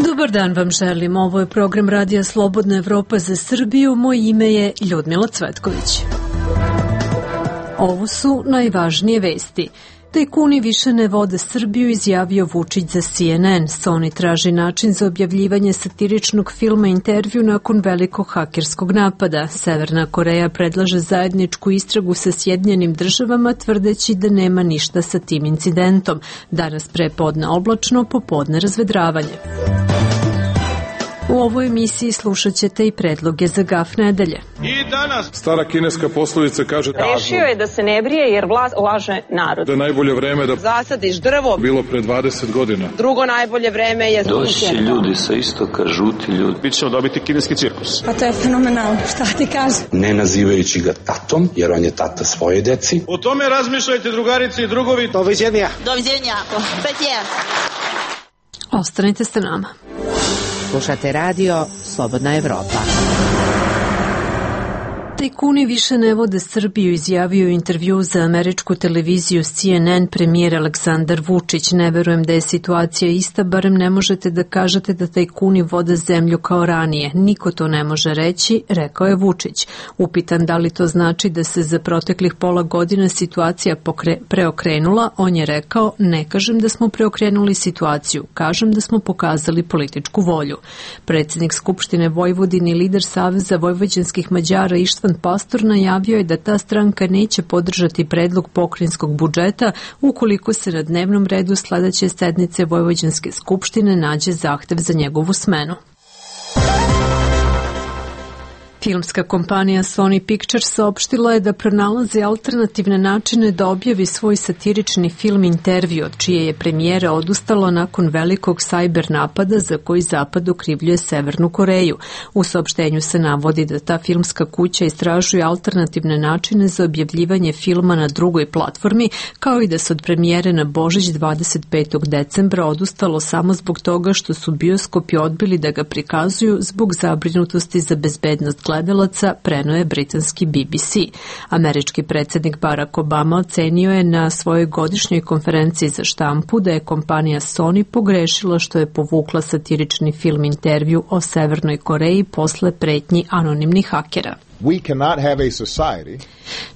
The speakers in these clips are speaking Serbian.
Dobar dan vam želim. Ovo je program Radija Slobodna Evropa za Srbiju. Moje ime je Ljudmila Cvetković. Ovo su najvažnije vesti. Tajkuni više ne vode Srbiju, izjavio Vučić za CNN. Sony traži način za objavljivanje satiričnog filma Intervju nakon velikog hakerskog napada. Severna Koreja predlaže zajedničku istragu sa Sjedinjenim Državama, tvrdeći da nema ništa sa tim incidentom. Danas prepodne oblačno, popodne razvedravanje. U ovoj emisiji slušat ćete i predloge za gaf nedelje. I danas stara kineska poslovica kaže: rešio je da se ne brije jer vlast laže narod. Da je najbolje vreme da zasadiš drvo bilo pre 20 godina. Drugo najbolje vreme je doći ljudi sa istoka, žuti ljudi. Mi ćemo dobiti kineski cirkus. Pa to je fenomenalno, šta ti kažem? Ne nazivajući ga tatom, jer on je tata svoje deci. O tome razmišljajte, drugarice i drugovi. Doviđenja. Doviđenja. Ostanite sa nama. Slušate radio Slobodna Evropa. Tajkuni više ne vode Srbiju, izjavio u intervju za američku televiziju CNN premijer Aleksandar Vučić. Ne verujem da je situacija ista, barem ne možete da kažete da tajkuni vode zemlju kao ranije. Niko to ne može reći, rekao je Vučić. Upitan da li to znači da se za proteklih pola godina situacija preokrenula, on je rekao: ne kažem da smo preokrenuli situaciju, kažem da smo pokazali političku volju. Predsjednik Skupštine Vojvodine i lider Saveza vojvođanskih Mađara Ištvan Pastor najavio je da ta stranka neće podržati predlog pokrajinskog budžeta ukoliko se na dnevnom redu sledeće sednice Vojvođanske skupštine nađe zahtev za njegovu smenu. Filmska kompanija Sony Pictures saopštila je da pronalazi alternativne načine da objavi svoj satirični film Intervju, od čije je premijera odustalo nakon velikog sajber napada za koji Zapad okrivljuje Severnu Koreju. U saopštenju se navodi da ta filmska kuća istražuje alternativne načine za objavljivanje filma na drugoj platformi, kao i da se od premijere na Božić 25. decembra odustalo samo zbog toga što su bioskopi odbili da ga prikazuju zbog zabrinutosti za bezbednost gledalaca, preneo je britanski BBC. Američki predsjednik Barack Obama ocenio je na svojoj godišnjoj konferenciji za štampu da je kompanija Sony pogrešila što je povukla satirični film Intervju o Severnoj Koreji posle pretnji anonimnih hakera.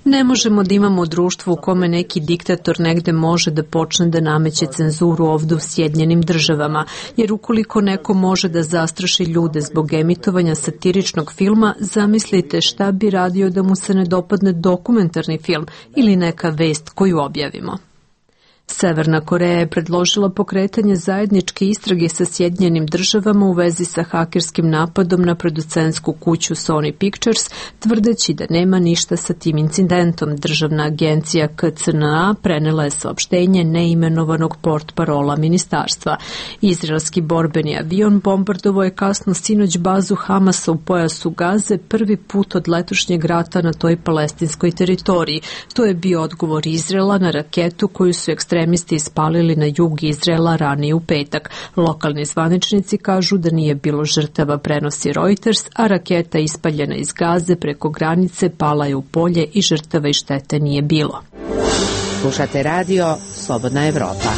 Ne možemo da imamo društvo u kome neki diktator negde može da počne da nameće cenzuru ovdje u Sjedinjenim Državama, jer ukoliko neko može da zastraši ljude zbog emitovanja satiričnog filma, zamislite šta bi radio da mu se ne dopadne dokumentarni film ili neka vest koju objavimo. Severna Koreja je predložila pokretanje zajedničke istrage sa Sjedinjenim Državama u vezi sa hakerskim napadom na producentsku kuću Sony Pictures, tvrdeći da nema ništa sa tim incidentom. Državna agencija KCNA prenela je saopštenje neimenovanog portparola ministarstva. Izraelski borbeni avion bombardovao je kasno sinoć bazu Hamasa u pojasu Gaze, prvi put od letošnjeg rata na toj palestinskoj teritoriji. To je bio odgovor Izraela na raketu koju su ekstremisti ispalili na jug Izraela ranije u petak. Lokalni zvaničnici kažu da nije bilo žrtava, prenosi Reuters, a raketa ispaljena iz Gaze preko granice pala je u polje i žrtava i štete nije bilo. Slušate radio Slobodna Evropa.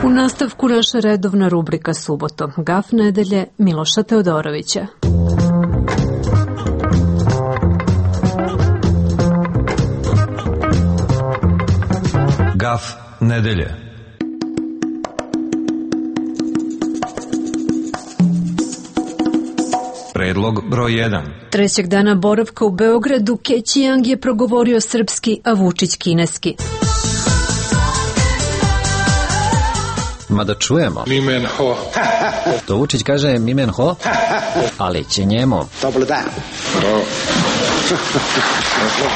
U nastavku naša redovna rubrika Subotom. Gaf nedelje Miloša Teodorovića. Gaf nedelje. Predlog broj 1. Trećeg dana boravka u Beogradu Keći Yang je progovorio srpski, a Vučić kineski. Ma da čujemo. Mimen ho. To Vučić kaže mimen ho, ali će njemu. Dobro dan.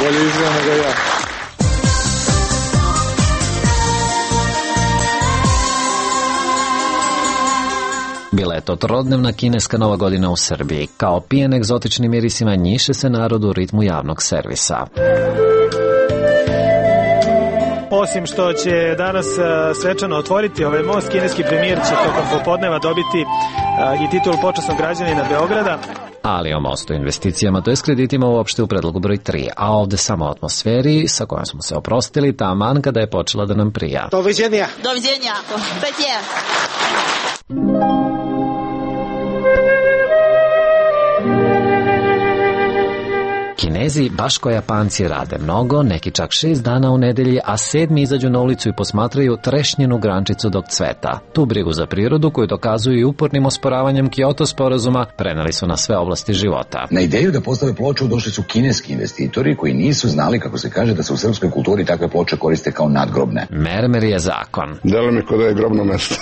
Bolje izgleda nego ja. Bila je to trodnevna kineska nova godina u Srbiji. Kao pijen egzotičnim mirisima njiše se narod u ritmu javnog servisa. Osim što će danas svečano otvoriti ovaj most, kineski premijer će tokom popodneva dobiti i titulu počasnog građanina Beograda. Ali o mostu, investicijama, to je s kreditima uopšte u predlogu broj 3, a ovde samo o atmosferi sa kojom smo se oprostili taman kada je počela da nam prija. Doviđenja. Doviđenja. Zajtje. Kinezi, baš ko Japanci, rade mnogo, neki čak 6 dana u nedelji, a 7 izađu na ulicu i posmatraju trešnjenu grančicu dok cveta. Tu brigu za prirodu, koju dokazuju i upornim osporavanjem Kyoto sporazuma, preneli su na sve oblasti života. Na ideju da postave ploču došli su kineski investitori koji nisu znali, kako se kaže, da se u srpskoj kulturi takve ploče koriste kao nadgrobne. Mermer je zakon. Delo mi kod da je grobno mesto.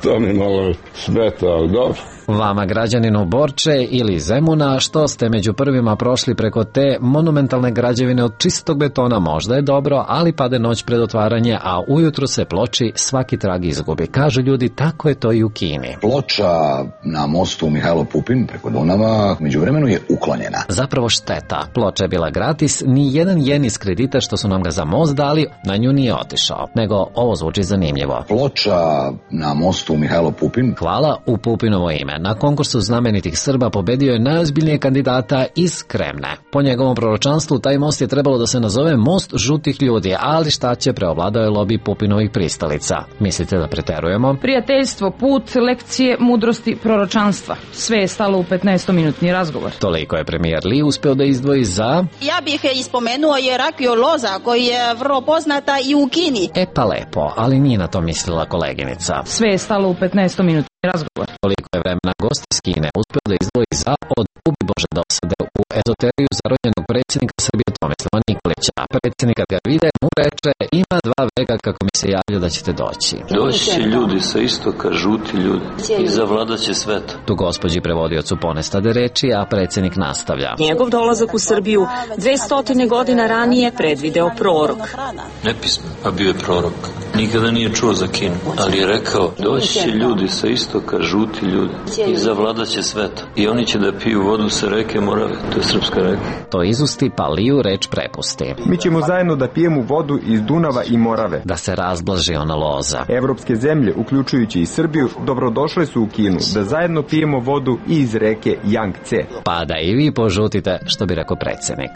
To mi malo smeta, ali dobro. Vama, građaninu Borče ili Zemuna, što ste među prvima prošli preko te monumentalne građevine od čistog betona, možda je dobro, ali pade noć pred otvaranje, a ujutru se ploči svaki trag izgubi. Kažu ljudi, tako je to i u Kini. Ploča na mostu Mihajlo Pupin preko Dunava međuvremenu je uklonjena. Zapravo šteta. Ploča je bila gratis, ni jedan jen iz kredita što su nam ga za most dali, na nju nije otišao. Nego ovo zvuči zanimljivo. Ploča na mostu Mihajlo Pupin. Hvala u Pupinovo ime. Na konkursu znamenitih Srba pobedio je najozbiljnije kandidata iz Kremne. Po njegovom proročanstvu taj most je trebalo da se nazove most žutih ljudi, ali šta će, preovladao je lobi Pupinovih pristalica. Mislite da preterujemo? Prijateljstvo, put, lekcije, mudrosti, proročanstva. Sve je stalo u 15-minutni razgovor. Toliko je premijer Li uspeo da izdvoji za... Ja bih ispomenuo Jerakiju Loza, koji je vrlo poznata i u Kini. E pa lepo, ali nije na to mislila koleginica. Sve je stalo u 15-minutni razgovor. Toliko je vremena gost iz Kine uspeo da izdvoji za od ubi Bože dosade u ezoteriju zarođenog predsjednika Srbije Tomislava Nikolića. Predsjednik kad ga vide mu reče, ima 2 veka kako mi se javlja da ćete doći. Doći će ljudi sa istoka, žuti ljudi, i zavladat će svet. Tu gospođi prevodiocu ponestade reči, a predsjednik nastavlja. Njegov dolazak u Srbiju 200 godina ranije predvideo prorok. Nepismen, a bio je prorok. Nikada nije čuo za Kinu, ali je rekao, doći će ljudi sa istoka, žuti ljudi, i zavladat će svet. I oni će da piju vodu sa reke Morave, to je srpska reka. To izusti, pa Liju reč prepusti. Mi ćemo zajedno da pijemo vodu iz Dunava i Morave. Da se razblaži ona loza. Evropske zemlje, uključujući i Srbiju, dobrodošle su u Kinu da zajedno pijemo vodu iz reke Jangtze. Pa da i vi požutite, što bi rekao predsjednik.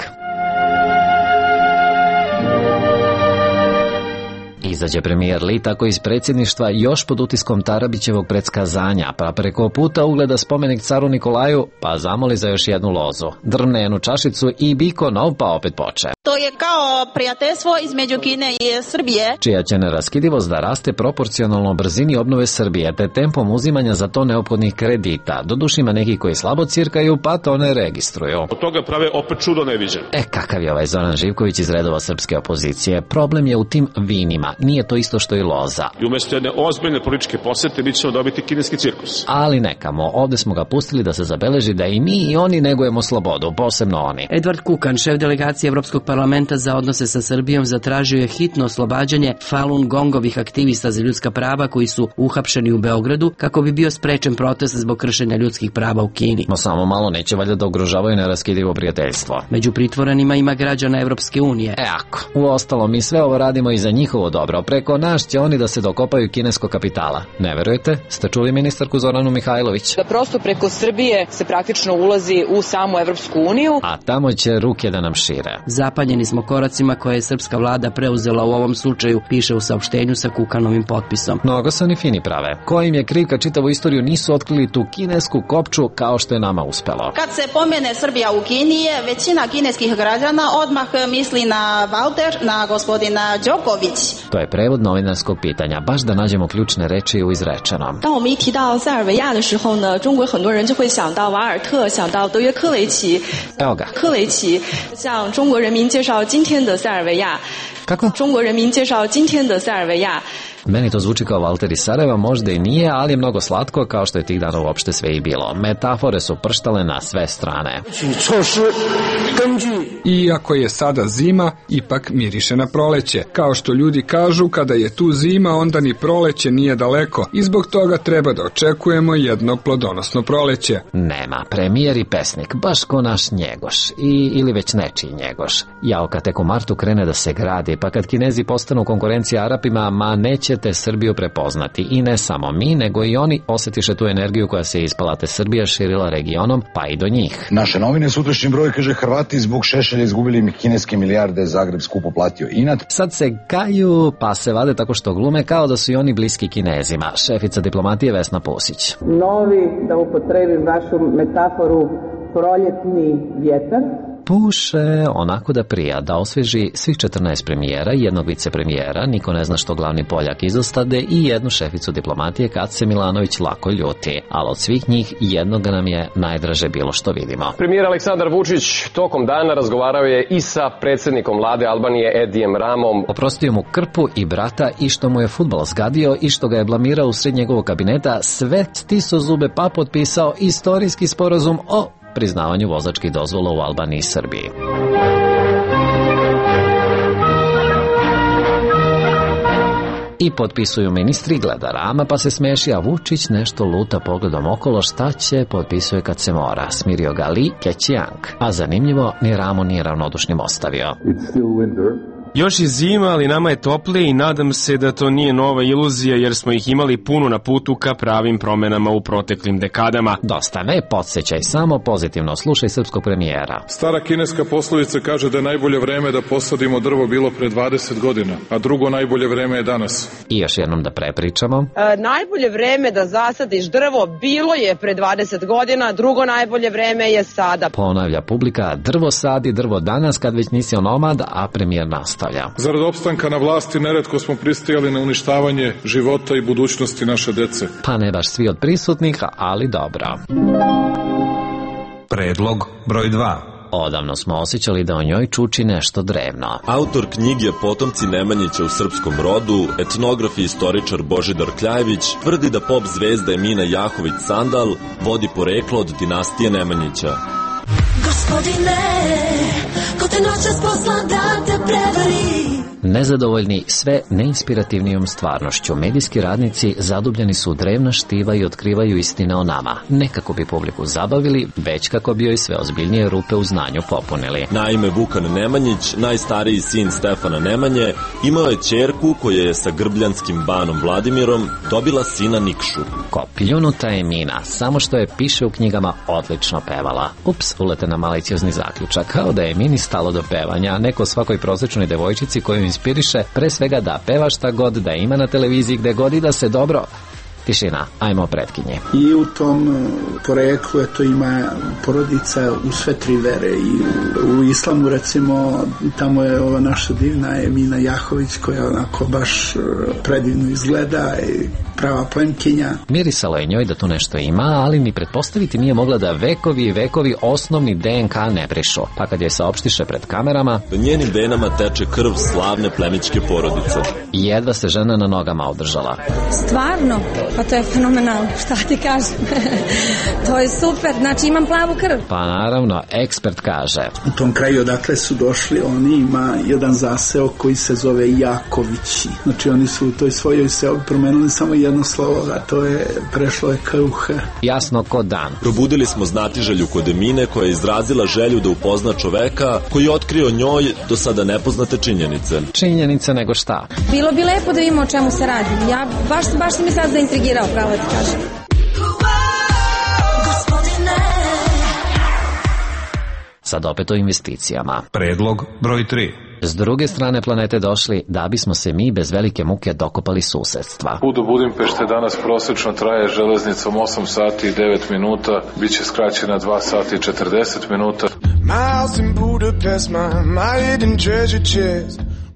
Izađe premijer Li tako iz predsjedništva još pod utiskom Tarabićevog predskazanja, pa preko puta ugleda spomenik caru Nikolaju, pa zamoli za još jednu lozu. Drvne jednu čašicu i biko nov, pa opet poče. To je kao prijateljstvo između Kine i Srbije, čija će neraskidivost da raste proporcionalno brzini obnove Srbije, te tempom uzimanja za to neophodnih kredita. Doduše ima neki koji slabo cirkaju, pa to ne registruju. Od toga prave opet čudo neviđen. Kakav je ovaj Zoran Živković iz redova srpske opozicije? Problem je u tim vinima. Nije to isto što i loza. I umjesto jedne ozbiljne političke posete mi ćemo dobiti kineski cirkus. Ali nekamo, ovde smo ga pustili da se zabeleži da i mi i oni negujemo slobodu, posebno oni. Edvard Kukan, šef delegacije Evropskog parlamenta za odnose sa Srbijom, zatražio je hitno oslobađanje Falun Gongovih aktivista za ljudska prava koji su uhapšeni u Beogradu kako bi bio sprečen protest zbog kršenja ljudskih prava u Kini. No samo malo, neće valjda da ugrožavaju neraskidivo prijateljstvo. Među pritvorenima ima građana Evropske unije. Ako. Uostalom, mi sve ovo radimo i za njihovo dobro. Preko nas će oni da se dokopaju kineskog kapitala. Ne verujete? Ste čuli ministarku Zoranu Mihajlović? Da prosto preko Srbije se praktično ulazi u samu Evropsku uniju. A tamo će ruke da nam šire. Zapanjeni smo koracima koje je srpska vlada preuzela u ovom slučaju, piše u saopštenju sa Kukanovim potpisom. Mnogo se oni fini prave. Ko im je kriv kad čitavu istoriju nisu otkrili tu kinesku kopču kao što je nama uspelo? Kad se pomene Srbija u Kini, većina kineskih građana odmah misli na Valter, na gospodina Đoković. To je prevod novinarskog pitanja, baš da nađemo ključne reči u izrečenom. 当我们一提到塞尔维亚的时候呢，中国很多人就会想到瓦尔特，想到德约科维奇。 Evo ga. 科维奇向中国人民介绍今天的塞尔维亚。 Kako? 中国人民介绍今天的塞尔维亚。 Meni to zvuči kao Valter iz Sarajeva, možda i nije, ali je mnogo slatko, kao što je tih dana uopšte sve i bilo. Metafore su prštale na sve strane. Iako je sada zima, ipak miriše na proleće. Kao što ljudi kažu, kada je tu zima, onda ni proleće nije daleko i zbog toga treba da očekujemo jedno plodonosno proleće. Nema, premijer i pesnik, baš ko naš Njegoš, ili već nečiji Njegoš. Jao kad tek u martu krene da se gradi, pa kad Kinezi postanu konkurencija Arapima, ma neće te Srbiju prepoznati. I ne samo mi, nego i oni osjetiše tu energiju koja se ispala, te Srbija širila regionom, pa i do njih. Naše novine, sutrašnji broj, kaže: Hrvati zbog Šešelja izgubili kineske milijarde, Zagreb skupo platio inat. Sad se gaju, pa se vade tako što glume kao da su i oni bliski Kinezima. Šefica diplomatije Vesna Pusić. Novi, da upotrebim vašu metaforu, proljetni vjetar. Puše onako da prija, da osveži svih 14 premijera, jednog vicepremijera, niko ne zna što glavni Poljak izostade, i jednu šeficu diplomatije kad se Milanović lako ljuti. Ali od svih njih jednoga nam je najdraže bilo što vidimo. Premijer Aleksandar Vučić tokom dana razgovarao je i sa predsjednikom vlade Albanije Edijem Ramom. Oprostio mu krpu i brata, i što mu je fudbal zgadio, i što ga je blamirao usred njegovog kabineta, sve stisao zube pa potpisao istorijski sporazum o priznavanju vozačkih dozvola u Albaniji i Srbiji. I potpisuju ministri, gleda Rama pa se smeši, a Vučić nešto luta pogledom okolo, šta će, potpisuje kad se mora. Smirio ga Li Keqiang, a zanimljivo, ni Ramu nije ravnodušnim ostavio. Još je zima, ali nama je toplije i nadam se da to nije nova iluzija, jer smo ih imali puno na putu ka pravim promenama u proteklim dekadama. Dosta ne podsjećaj, samo pozitivno slušaj srpskog premijera. Stara kineska poslovica kaže da je najbolje vreme da posadimo drvo bilo pre 20 godina, a drugo najbolje vreme je danas. I još jednom da prepričamo. Najbolje vreme da zasadiš drvo bilo je pre 20 godina, drugo najbolje vreme je sada. Ponavlja publika, drvo sadi, drvo danas, kad već nisi onomad, a premijer nastavlja. Zarad opstanka na vlasti neretko smo pristajali na uništavanje života i budućnosti naše dece. Pa ne baš svi od prisutnih, ali dobro. Predlog broj 2. Odavno smo osjećali da o njoj čuči nešto drevno. Autor knjige Potomci Nemanjića u srpskom rodu, etnograf i istoričar Božidar Kljajević, tvrdi da pop zvezda Emina Jahović Sandal vodi poreklo od dinastije Nemanjića. Gospodine, ko te noćas posla da te prevari. Nezadovoljni sve neinspirativnijom stvarnošću, medijski radnici zadubljeni su u drevna štiva i otkrivaju istine o nama. Ne kako bi publiku zabavili, već kako bi joj sve ozbiljnije rupe u znanju popunili. Naime, Vukan Nemanjić, najstariji sin Stefana Nemanje, imao je ćerku koja je sa grbljanskim banom Vladimirom dobila sina Nikšu. Ko pljunuta Emina, samo što je, piše u knjigama, odlično pevala. Ups, uletena maliciozni zaključak, kao da je Emini stalo do pevanja, a neko svakoj prosječnoj devojčici koju inspiriše pre svega da peva šta god, da ima na televiziji gde god i da se dobro... Tišina, ajmo pretkinje. I u tom poreklu to ima porodica u sve tri vere, i u islamu recimo tamo je ova naša divna Emina Jahović koja onako baš predivno izgleda i prava plemkinja. Mirisalo je njoj da tu nešto ima, ali ni pretpostaviti nije mogla da vekovi i vekovi osnovni DNK ne brišu. Pa kad je saopštiše pred kamerama, u njenim venama teče krv slavne plemićke porodice. Jedva se žena na nogama održala. Stvarno? Pa to je fenomenalno, šta ti kažem. To je super, znači imam plavu krv. Pa naravno, ekspert kaže. U tom kraju odakle su došli, oni ima jedan zaseo koji se zove Jakovići. Znači oni su u toj svojoj seobi promenili samo jedno slovo, a to je prešlo je KUH. Jasno ko dan. Probudili smo znatiželju kod Emine koja je izrazila želju da upozna čoveka koji je otkrio njoj do sada nepoznate činjenice. Činjenice nego šta? Bilo bi lepo da vidimo o čemu se radi. Ja baš si mi sad zaintrigirao, pravo ti kažem. Sad opet o investicijama. Predlog broj 3. S druge strane planete došli da bismo se mi bez velike muke dokopali susedstva. Put do Budimpešte danas prosečno traje železnicom 8 sati i 9 minuta, bit će skraćena 2 sati i 40 minuta.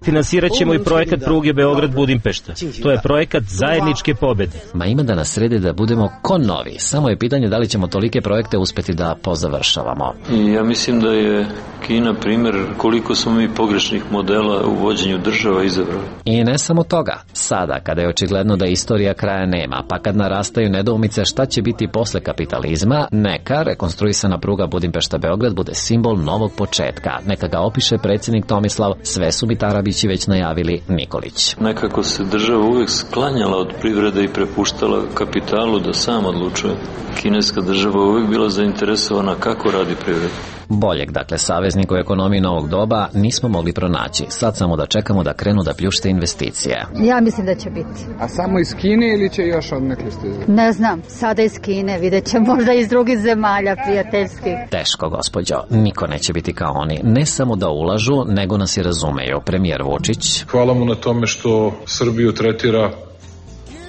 Finansirat ćemo i projekat pruge Beograd-Budimpešta. To je projekat zajedničke pobede. Ma ima da nas sredi da budemo ko novi. Samo je pitanje da li ćemo tolike projekte uspeti da pozavršavamo. I ja mislim da je Kina primjer koliko smo mi pogrešnih modela u vođenju država izabrali. I ne samo toga. Sada, kada je očigledno da istorija kraja nema, pa kad narastaju nedoumice šta će biti posle kapitalizma, neka rekonstruisana pruga Budimpešta-Beograd bude simbol novog početka. Neka ga opiše predsjednik Tomislav, sve su mi Tarabići već najavili, Nikolić. Nekako se država uvek sklanjala od privrede i prepuštala kapitalu da sam odlučuje. Kineska država uvek bila zainteresovana kako radi privreda. Boljeg, dakle, saveznika u ekonomiji novog doba nismo mogli pronaći. Sad samo da čekamo da krenu da pljušte investicije. Ja mislim da će biti. A samo iz Kine ili će još odnekli stizati? Ne znam, sada iz Kine, vidjet će možda iz drugih zemalja prijateljskih. Teško, gospođo, niko neće biti kao oni. Ne samo da ulažu, nego nas i razumeju. Premijer Vučić. Hvala mu na tome što Srbiju tretira.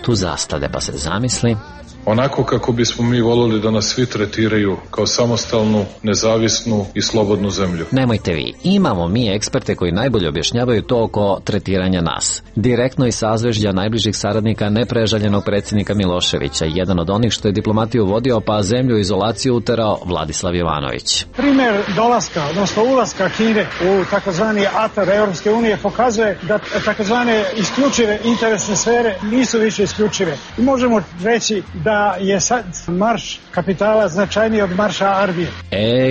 Tu zastade pa se zamisli. Onako kako bismo mi volili da nas svi tretiraju, kao samostalnu, nezavisnu i slobodnu zemlju. Nemojte vi, imamo mi eksperte koji najbolje objašnjavaju to oko tretiranja nas. Direktno iz sazvežđa najbližih saradnika neprežaljenog predsjednika Miloševića, jedan od onih što je diplomatiju vodio pa zemlju u izolaciju uterao Vladislav Jovanović. Primjer dolaska, odnosno ulaska Kine u takozvani atar Europske unije pokazuje da takozvane isključive interesne sfere nisu više isključive. I možemo reći da je sad marš kapitala značajniji od marša armije.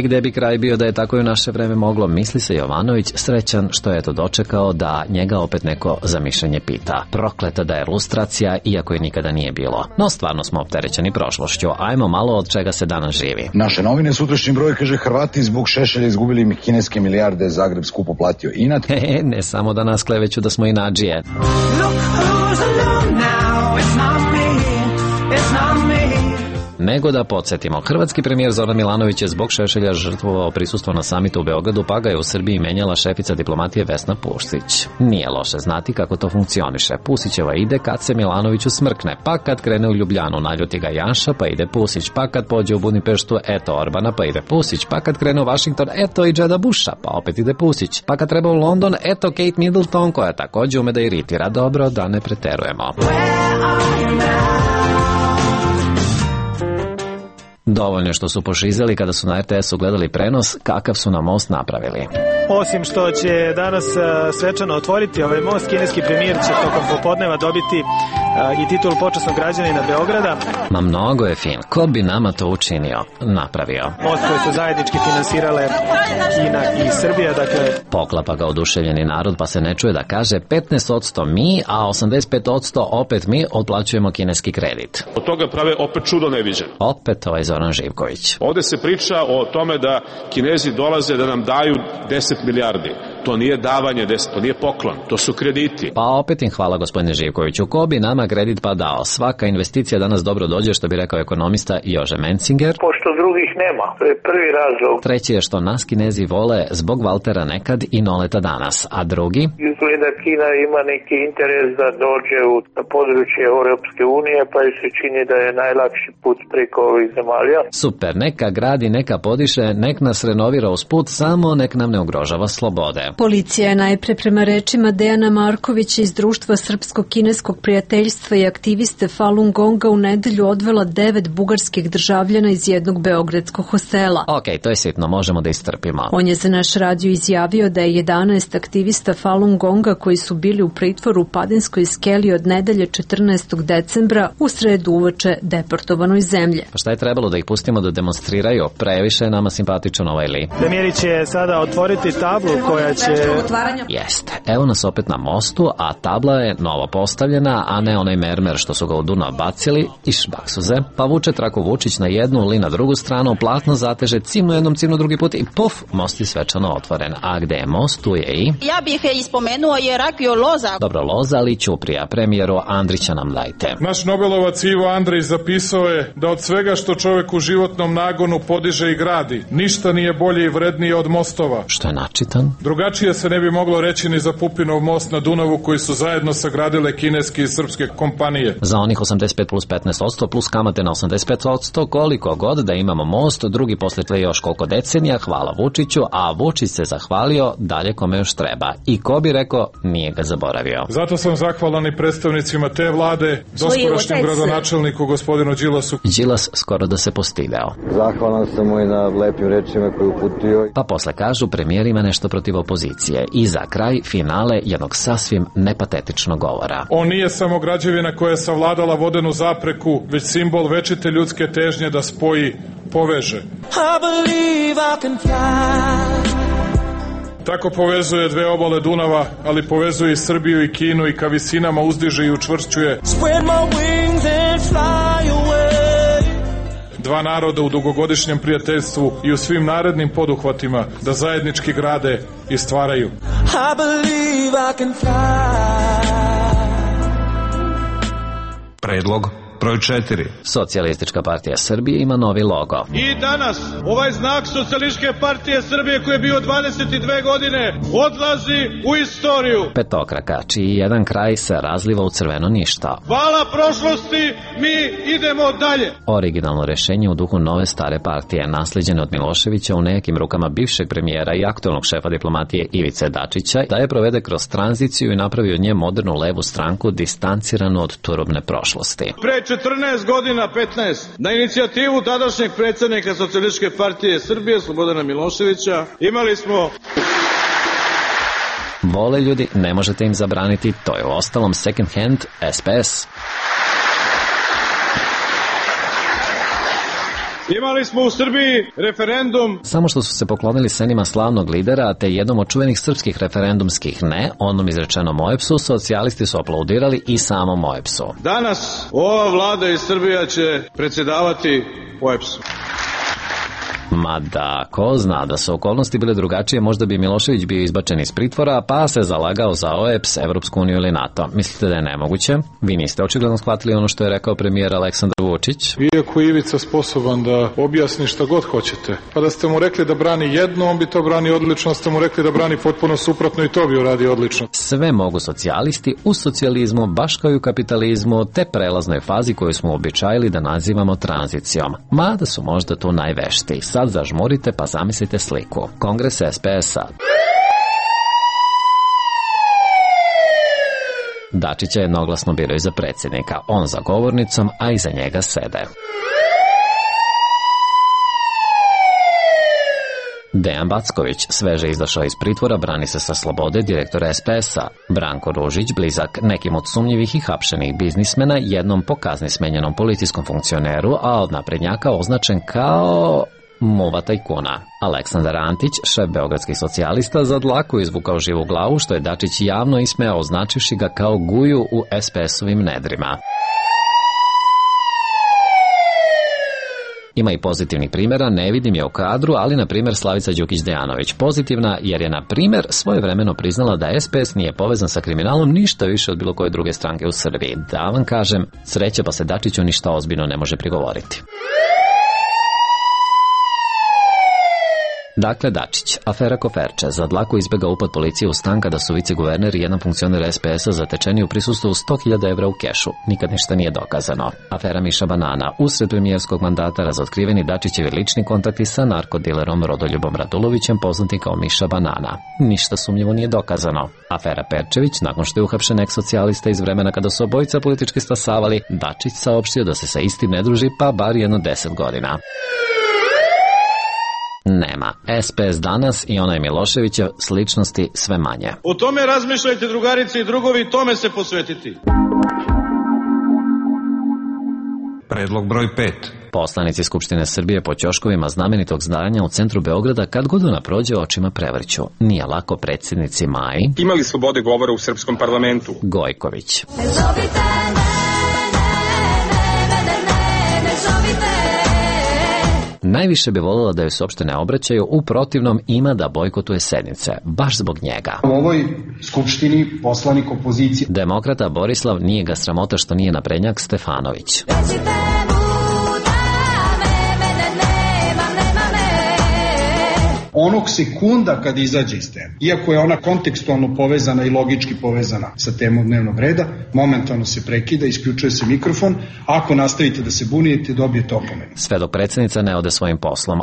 Gde bi kraj bio da je tako i u naše vreme moglo, misli se Jovanović, srećan što je to dočekao da njega opet neko za mišljenje pita. Prokleta da je lustracija, iako je nikada nije bilo. No stvarno smo opterećeni prošlošću, ajmo malo od čega se danas živi. Naše novine, sutrašnji broj, kaže Hrvati zbog Šešelja izgubili kineske milijarde, Zagreb skupo platio inat. Ne samo da nas kleveću da smo inadžije. Nego da podsjetimo, hrvatski premijer Zoran Milanović je zbog Šešelja žrtvovao prisustvo na samitu u Beogradu, pa ga je u Srbiji menjala šefica diplomatije Vesna Pusić. Nije loše znati kako to funkcioniše. Pusićeva ide kad se Milanoviću smrkne, pa kad krene u Ljubljanu, naljuti ga Janša, pa ide Pusić, pa kad pođe u Budimpeštu, eto Orbana, pa ide Pusić, pa kad krene u Vašington, eto i Džeda Busha, pa opet ide Pusić, pa kad treba u London, eto Kate Middleton, koja takođe ume da iritira. Dobro, da ne preterujemo. Dovoljno što su pošizeli kada su na RTS-u gledali prenos kakav su na most napravili. Osim što će danas svečano otvoriti ovaj most, kineski premijer će tokom popodneva dobiti i titulu počasnog građanina Beograda. Ma mnogo je fin. Ko bi nama to učinio? Napravio. Most koji su zajednički finansirale Kina i Srbija, dakle... Poklapa ga oduševljeni narod, pa se ne čuje da kaže 15% mi, a 85% opet mi otplaćujemo kineski kredit. Od toga prave opet čudo neviđen. Opet ovaj Zoran Živković. Ovde se priča o tome da Kinezi dolaze da nam daju 10 milijardi. To nije davanje 10, to nije poklon, to su krediti. Pa opet im hvala, gospodine Živkoviću. Ko bi nama kredit pa dao? Svaka investicija danas dobro dođe, što bi rekao ekonomista Jože Mencinger. Pošto drugih nema, to je prvi razlog. Treći je što nas Kinezi vole zbog Valtera nekad i Noleta danas, a drugi? Izgleda Kina ima neki interes da dođe u područje Europske unije, pa se čini da je najlakši put preko ovih zemalja. Super, neka gradi, neka podiše, nek nas renovira usput, samo nek nam ne ugrožava slobode. Policija je najpre prema rečima Dejana Markovića iz Društva srpsko-kineskog prijateljstva i aktiviste Falun Gonga u nedelju odvela 9 bugarskih državljana iz jednog beogradskog hostela. Ok, to je sitno, možemo da istrpimo. On je za naš radio izjavio da je 11 aktivista Falun Gonga koji su bili u pritvoru u Padinskoj skeli od nedelje 14. decembra u sredu uveče deportovano iz zemlje. Pa šta je trebalo da ih pustimo da demonstriraju? Previše je nama simpatičan ovaj li. Premijer će sada otvoriti tablu koja će... Jeste. Evo nas opet na mostu, a tabla je novo postavljena, a ne onaj mermer što su ga u Dunav bacili i šbaksuze. Pa vuče traku Vučić na jednu, li na drugu stranu, platno zateže, cimnu jednom, cimnu drugi put i puf, most je svečano otvoren. A gde je most, tu je i... Ja bih ispomenuo Jerakio Loza. Dobro, Loza, ali Ćuprija. Premijeru Andrića nam dajte. Naš Nobelovac Ivo Andrić zapisao je da od svega što čovek u životnom nagonu podiže i gradi, ništa nije bolje i vrednije od mostova. Što je načitan? Drugačije se ne bi moglo reći ni za Pupinov most na Dunavu koji su zajedno sagradile kineske i srpske kompanije. Za onih 85 plus 15% plus kamate na 85%, koliko god da imamo most, drugi posle još koliko decenija, hvala Vučiću, a Vučić se zahvalio dalje kome još treba. I ko bi rekao, nije ga zaboravio. Zato sam zahvalan i predstavnicima te vlade, doskorašnjem gradonačelniku gospodinu Đilasu. Đilas skoro da se postideo. Zahvalan sam mu i na lepim rečima koje uputio. Pa posle kažu, premijer ima nešto protiv opozicije. I za kraj finale jednog sasvim nepatetičnog govora. On nije samo građevina koja je savladala vodenu zapreku, već simbol večite ljudske težnje da spoji, poveže. Tako povezuje dve obale Dunava, ali povezuje i Srbiju i Kinu i ka visinama uzdiže i učvršćuje. dva naroda u dugogodišnjem prijateljstvu i u svim narednim poduhvatima da zajednički grade i stvaraju. I believe I can fly. Predlog broj 4. Socijalistička partija Srbije ima novi logo. I danas ovaj znak Socijalističke partije Srbije koji je bio 22 godine odlazi u istoriju. Petokraka, čiji jedan kraj se razliva u crveno ništa. Hvala prošlosti, mi idemo dalje. Originalno rešenje u duhu nove stare partije, naslijeđene od Miloševića u nekim rukama bivšeg premijera i aktualnog šefa diplomatije Ivice Dačića, da je provede kroz tranziciju i napravi od nje modernu levu stranku distanciranu od turobne prošlosti. Pre 14 godina, 15, na inicijativu tadašnjeg predsjednika Socijalističke partije Srbije, Slobodana Miloševića, imali smo... Vole ljudi, ne možete im zabraniti, to je u ostalom second hand SPS. Imali smo u Srbiji referendum. Samo što su se poklonili senima slavnog lidera, te jednom od čuvenih srpskih referendumskih ne, onom izrečenom OEBS-u, socijalisti su aplaudirali i samom OEBS-u. Danas ova vlada iz Srbija će predsjedavati OEBS-u. Mada, ko zna, da su okolnosti bile drugačije, možda bi Milošević bio izbačen iz pritvora, pa se zalagao za OEBS, Evropsku uniju ili NATO. Mislite da je nemoguće? Vi niste očigledno shvatili ono što je rekao premijer Aleksandar Vučić. Iako je Ivica sposoban da objasni šta god hoćete, pa da ste mu rekli da brani jedno, on bi to brani odlično, da ste mu rekli da brani potpuno suprotno i to bi uradio odlično. Sve mogu socijalisti u socijalizmu, baš kao i u kapitalizmu, te prelaznoj fazi koju smo običajili da nazivamo tranzicijom. Mada su možda tu najveštiji. Sad zažmurite pa zamislite sliku. Kongres SPS-a. Dačića jednoglasno biraju za predsjednika, on za govornicom, a iza njega sede. Dejan Backović, sveže izašao iz pritvora, brani se sa slobode direktora SPS-a. Branko Ružić, blizak nekim od sumnjivih i hapšenih biznismena, jednom po kazni smenjenom policijskom funkcioneru, a od naprednjaka označen kao... muva tajkuna. Aleksandar Antić, šef beogradskih socijalista, za dlaku izvukao živu glavu, što je Dačić javno ismejao, označivši ga kao guju u SPS-ovim nedrima. Ima i pozitivnih primjera, ne vidim je u kadru, ali na primjer Slavica Đukić-Dejanović. Pozitivna jer je na primjer svojevremeno priznala da SPS nije povezan sa kriminalom ništa više od bilo koje druge stranke u Srbiji. Da vam kažem, sreće pa se Dačiću ništa ozbiljno ne može prigovoriti. Dakle, Dačić, afera Koferče, za dlaku izbjega upad policije u stan kada su viceguverner i jedan funkcioner SPS-a zatečeni u prisustvu 100.000 evra u kešu. Nikad ništa nije dokazano. Afera Miša Banana, usred premijerskog mandata razotkriveni Dačićevi lični kontakti sa narkodilerom Rodoljubom Radulovićem, poznati kao Miša Banana. Ništa sumnjivo nije dokazano. Afera Perčević, nakon što je uhapšen eks-socijalista iz vremena kada su obojica politički stasavali, Dačić saopštio da se sa istim ne druži pa bar jedno 10 godina. Nema. SPS danas i onaj Miloševićev sličnosti sve manje. O tome razmišljajte, drugarice i drugovi, tome se posvetiti. Predlog broj 5. Poslanici Skupštine Srbije po ćoškovima znamenitog zdanja u centru Beograda kad god ona prođe očima prevrću. Nije lako predsjednici Maji. Imali slobode govora u srpskom parlamentu. Gojković. Najviše bi voljela da joj se uopšte ne obraćaju, u protivnom ima da bojkotuje sednice, baš zbog njega. U ovoj skupštini poslanik opozicije. Demokrata Borislav nije ga sramota što nije naprednjak Stefanović. Onog sekunda kad izađe iz teme, iako je ona kontekstualno povezana i logički povezana sa temom dnevnog reda, momentalno se prekida, isključuje se mikrofon, ako nastavite da se bunijete, dobijete opomenu. Sve dok predsjednica ne ode svojim poslom.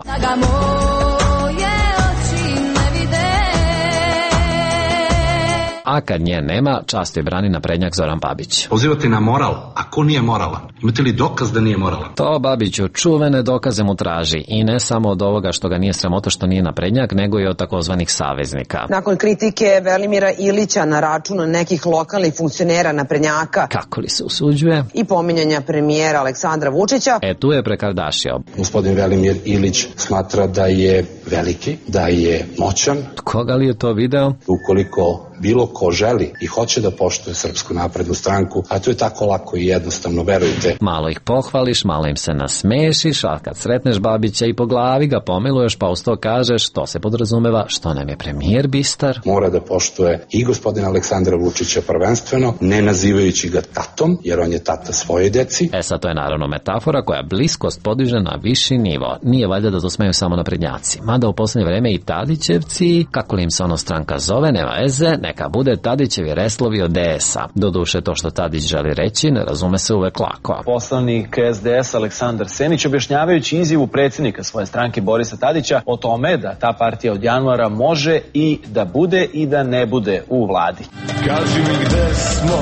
A kad nje nema, často je brani naprednjak Zoran Babić. Pozivate na moral, a ko nije moralan? Imate li dokaz da nije moralan? To Babiću čuvene dokaze mu traži i ne samo od ovoga što ga nije sramota što nije naprednjak, nego i od takozvanih saveznika. Nakon kritike Velimira Ilića na račun nekih lokalnih funkcionera naprednjaka. Kako li se usuđuje? I pominjanja premijera Aleksandra Vučića. Tu je prekardašio. Gospodin Velimir Ilić smatra da je veliki, da je moćan. Koga li je to video? Ukoliko bilo ko želi i hoće da poštuje Srpsku naprednu stranku, a to je tako lako i jednostavno, verujte. Malo ih pohvališ, malo im se nasmešiš, a kad sretneš Babića i po glavi ga pomiluješ, pa uz to kažeš što se podrazumeva, što nam je premijer bistar. Mora da poštuje i gospodina Aleksandra Vučića prvenstveno, ne nazivajući ga tatom, jer on je tata svoje deci. Sad to je naravno metafora koja bliskost podiže na viši nivo. Nije valjda da to smeju samo naprednjaci. Mada u poslednje vreme i Tadićevci, kako li im se ono stranka zove, nema veze, neka bude Tadićevi reslovi od DS-a. Doduše to što Tadić želi reći ne razume se uvek lako. Poslanik SDS Aleksandar Senić objašnjavajući izjavu predsjednika svoje stranke Borisa Tadića o tome da ta partija od januara može i da bude i da ne bude u vladi. Kaži mi gde smo,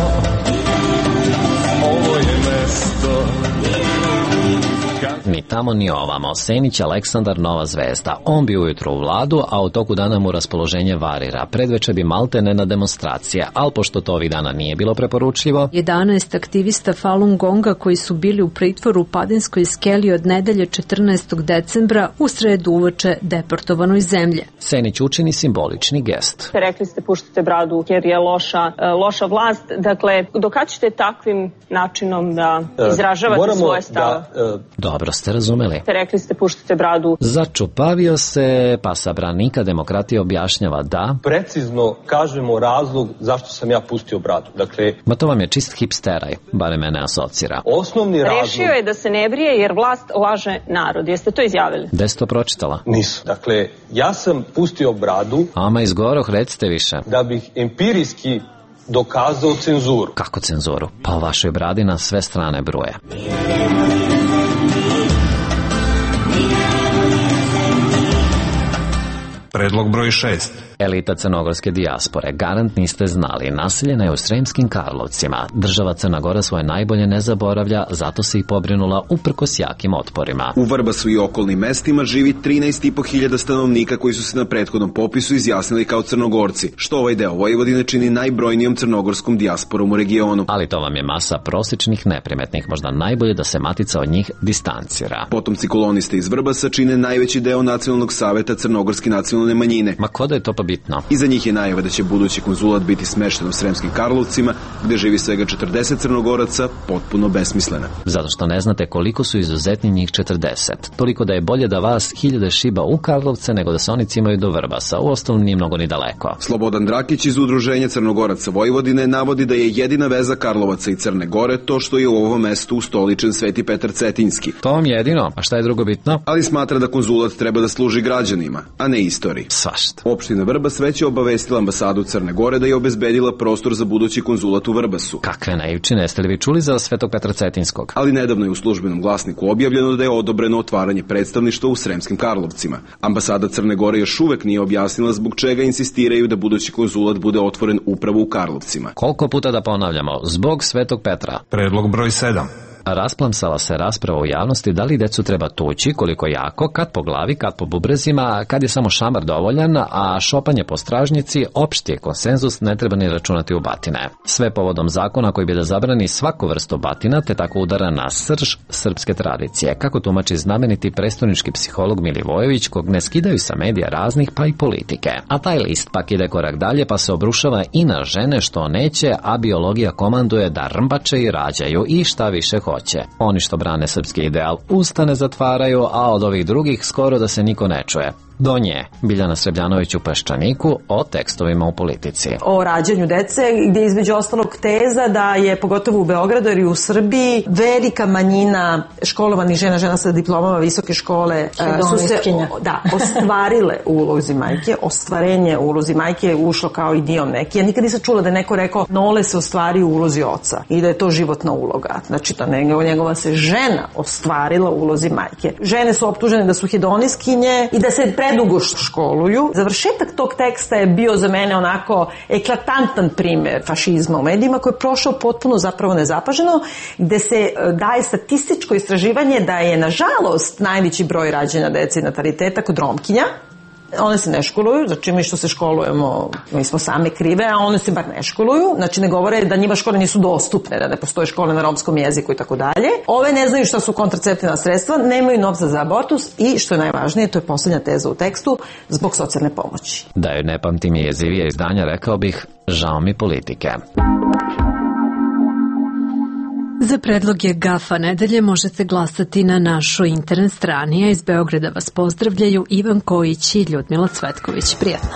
ovo je mesto. Ni tamo ni ovamo. Senić Aleksandar nova zvezda. On bi ujutro u vladu, a u toku dana mu raspoloženje varira. Predveče bi maltene na demonstracije, ali pošto to ovih dana nije bilo preporučljivo. 11 aktivista Falun Gonga koji su bili u pritvoru u Padinskoj skeli od nedelje 14. decembra u sredu uveče deportovano iz zemlje. Senić učini simbolični gest. Rekli ste puštate bradu jer je loša vlast. Dakle, do kad ćete takvim načinom da izražavate svoje stave? Dobro ste razumeli. Rekli ste puštate bradu. Začupavio se, pa sa branika demokratije objašnjava da... Precizno kažemo razlog zašto sam ja pustio bradu. Dakle... Ma to vam je čist hipsteraj, bare mene asocira. Osnovni razlog... Rešio je da se ne brije jer vlast laže narod. Jeste to izjavili? Gde ste to pročitala? Nisu. Dakle, ja sam pustio bradu... Ama izgoroh, recite više. Da bih empirijski dokazao cenzuru. Kako cenzuru? Pa o vašoj bradi na sve strane bruje. Predlog broj 6. Elita crnogorske dijaspore, garant niste znali, naseljena je u Sremskim Karlovcima. Država Crna Gora svoje najbolje ne zaboravlja, zato se i pobrinula uprkos jakim otporima. U Vrbasu i okolnim mestima živi 13.500 stanovnika koji su se na prethodnom popisu izjasnili kao Crnogorci, što ovaj deo Vojvodine čini najbrojnijom crnogorskom dijasporom u regionu. Ali to vam je masa prosječnih neprimetnih, možda najbolje da se matica od njih distancira. Potomci koloniste iz Vrbasa čine najveći deo Nacionalnog saveta crnogorske nacionalne manjine. Ma ko da je to pa bitno? Iza njih je najava da će budući konzulat biti smešten u Sremskim Karlovcima, gde živi svega 40 Crnogoraca, potpuno besmislena. Zato što ne znate koliko su izuzetni njih 40. Toliko da je bolje da vas 1000 šiba u Karlovce nego da se oni cimaju do Vrbasa. Uostalom nije mnogo ni daleko. Slobodan Drakić iz Udruženja Crnogoraca Vojvodine navodi da je jedina veza Karlovaca i Crne Gore to što je u ovom mestu ustoličen Sveti Petar Cetinjski. To vam jedino, a šta je drugo bitno? Ali smatra da konzulat treba da služi građanima, a ne istoriji. Svašta. Opština Vrbas već je obavestila ambasadu Crne Gore da je obezbedila prostor za budući konzulat u Vrbasu. Kakve naivčine, jeste li vi čuli za Svetog Petra Cetinskog? Ali nedavno je u službenom glasniku objavljeno da je odobreno otvaranje predstavništva u Sremskim Karlovcima. Ambasada Crne Gore još uvek nije objasnila zbog čega insistiraju da budući konzulat bude otvoren upravo u Karlovcima. Koliko puta da ponavljamo? Zbog Svetog Petra. Predlog broj 7. Rasplamsala se rasprava u javnosti da li decu treba tući, koliko jako, kad po glavi, kad po bubrezima, kad je samo šamar dovoljan, a šopanje po stražnjici, opšti je konsenzus, ne treba ni računati u batine. Sve povodom zakona koji bi da zabrani svaku vrstu batina, te tako udara na srž srpske tradicije, kako tumači znameniti prestonički psiholog Milivojević, kog ne skidaju sa medija raznih, pa i politike. A taj list pak ide korak dalje, pa se obrušava i na žene što neće, a biologija komanduje da rmbače i rađaju i šta više hoće. Oni što brane srpski ideal usta ne zatvaraju, a od ovih drugih skoro da se niko ne čuje. Do nje, Biljana Srebljanović u Peščaniku o tekstovima u politici. O rađanju dece, gdje između ostalog teza da je, pogotovo u Beogradu i u Srbiji, velika manjina školovanih žena sa diplomama visoke škole su se ostvarile u ulozi majke. Ostvarenje u ulozi majke je ušlo kao idiom neki. Ja nikad nisam čula da neko rekao Nole se ostvari u ulozi oca i da je to životna uloga. Znači da njegova se žena ostvarila u ulozi majke. Žene su optužene da su hedoniskinje i da se predugo školuju. Završetak tog teksta je bio za mene onako eklatantan primer fašizma u medijima koji je prošao potpuno zapravo nezapaženo, gde se daje statističko istraživanje da je nažalost najveći broj rađanja dece i nataliteta kod Romkinja, one se ne školuju, znači mi što se školujemo, mi smo same krive, a one se bar ne školuju, znači ne govore da njima škole nisu dostupne, da ne postoje škole na romskom jeziku i tako dalje. Ove ne znaju šta su kontraceptivna sredstva, nemaju novca za abortus i, što je najvažnije, to je poslednja teza u tekstu, zbog socijalne pomoći. Da joj ne pamtim jezivije izdanja, rekao bih, žao mi politike. Za predloge GAFA nedelje možete glasati na našoj internet strani, a iz Beograda vas pozdravljaju Ivan Kojić i Ljudmila Cvetković. Prijatno.